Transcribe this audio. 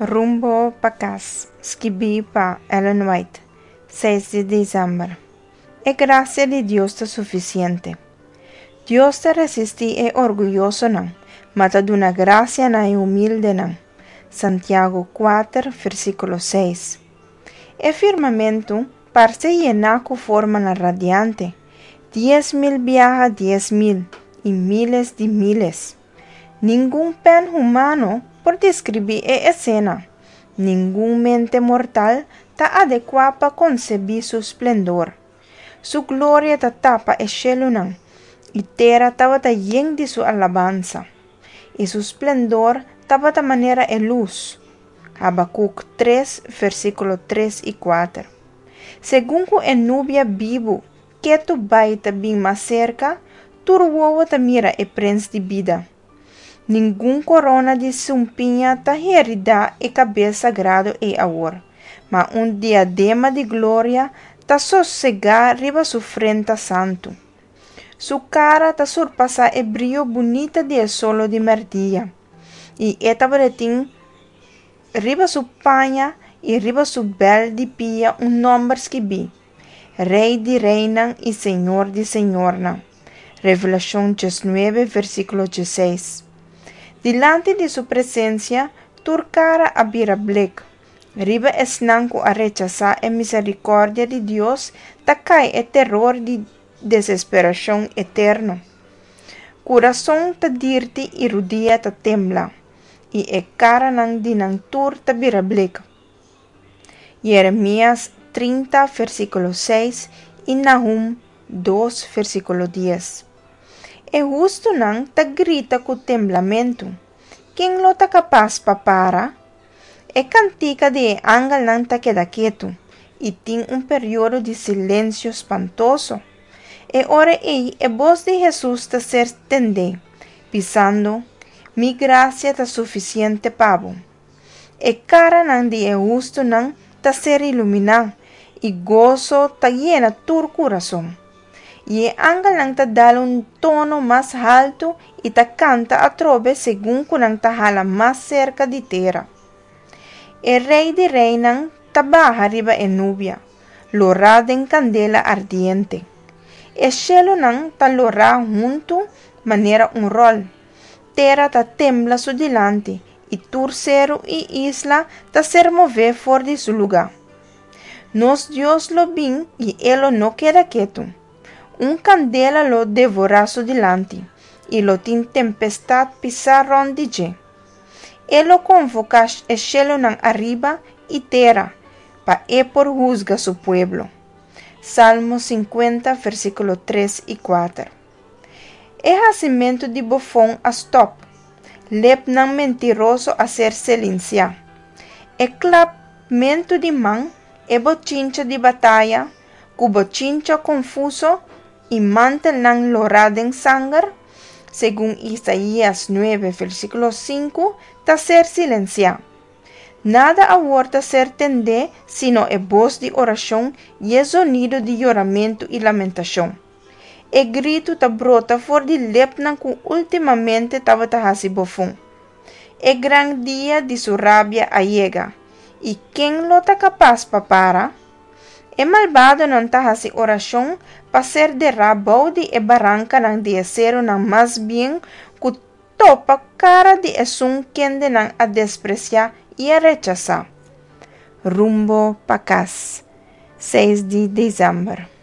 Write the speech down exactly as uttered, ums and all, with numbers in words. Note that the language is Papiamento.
Rumbo pa Kas, skibí pa Ellen White, seis di desèmber. E grasia di Dios ta sufisiente. Dios ta resistí e orguyosonan, ma ta duna grasia na e humildenan. Santiago kuater, versíkulo seis. E firmamentu parse yená ku formanan radiante, dies mil biaha dies mil i míles di míles. Ningun pèn humano por deskribí e esena, ningun mente mortal ta adekuá pa konsebí su splendor. Su gloria ta tapa e shelunan, i tera tabata yen di su alabansa, i su splendor tabata manera e lus. Habakuk tres, versíkulo tres i kuater. Segun ku e nubia bibu ketu bai ta bin mas serka, tur wowo ta mira e Prens di bida. Ningun korona di sumpiña ta heridá e kabes sagrado ei awor, ma un diadema di gloria ta sosegá riba su frenta santu. Su kara ta surpasá e brio bunita di e solo di mèrdia, i e tabatin riba su paña i riba su bèl di pia un nòmber skibí, Rei di reinan i Señor di señornan. Revelashon diesnuebe, versíkulo diesseis. Dilanti di su presensia, tur kara a bira blek. Riba esnan ku a rechasá e miserikòrdia di Dios ta kai e teror di desesperashon eterno. Kurason ta dirti i rudia ta tembla, i e karanan di nan tur ta bira blek. Jeremias trinta, versíkulo seis i Nahum dos, versíkulo dies. E hustunan ta grita ku temblamentu. Ken lo ta kapas pa para? E kantika di e angelnan ta keda ketu i tin un periodo di silensio spantoso. E ora ei e bos di Hesus ta ser tendé, bisando, Mi grasia ta sufisiente pa bo. E karanan di e hustunan ta ser iluminá i goso ta yena tur kurason. I e angelnan ta dal un tono mas haltu i ta kanta atrobe segun ku nan ta hala mas serka di tera. E Rei di reinan ta baha riba e nubia, lorá den kandela ardiente. E shelunan ta lora huntu manera un ròl. Tera ta tembla su dilanti i tur seru i isla ta ser mové for di su lugá. Nos Dios lo bin i e lo no keda ketu. Un kandela lo devorá su dilanti i lo tin tempestat pisá rònt di dje. E lo konvoká e shelunan ariba i tera pa e por husga su pueblo. Salmo sinkuenta, versíkulo tres i kuater. E hasimentu di bofon a stòp. Lepnan mentiroso a ser silensiá. E klapmentu di man, e bochincha di bataya, ku bochincha konfuso i mantelnan lorá den sanger, segun Isaías nuebe, versíkulo sinku, ta ser silensiá. Nada awor ta ser tendé sino e bos di orashon i e zonido di yoramentu i lamentashon. E gritu ta brota for di lepnan ku últimamente tabata hasi bofon. E gran dia di su rabia a yega, i ken lo ta kapas pa para? E malbadonan ta hasi orashon pa ser derá bou di e barankanan di e serunan mas bien ku topa kara di esun kende nan a despresiá i a rechasá. Rumbo pa Kas, seis di desèmber.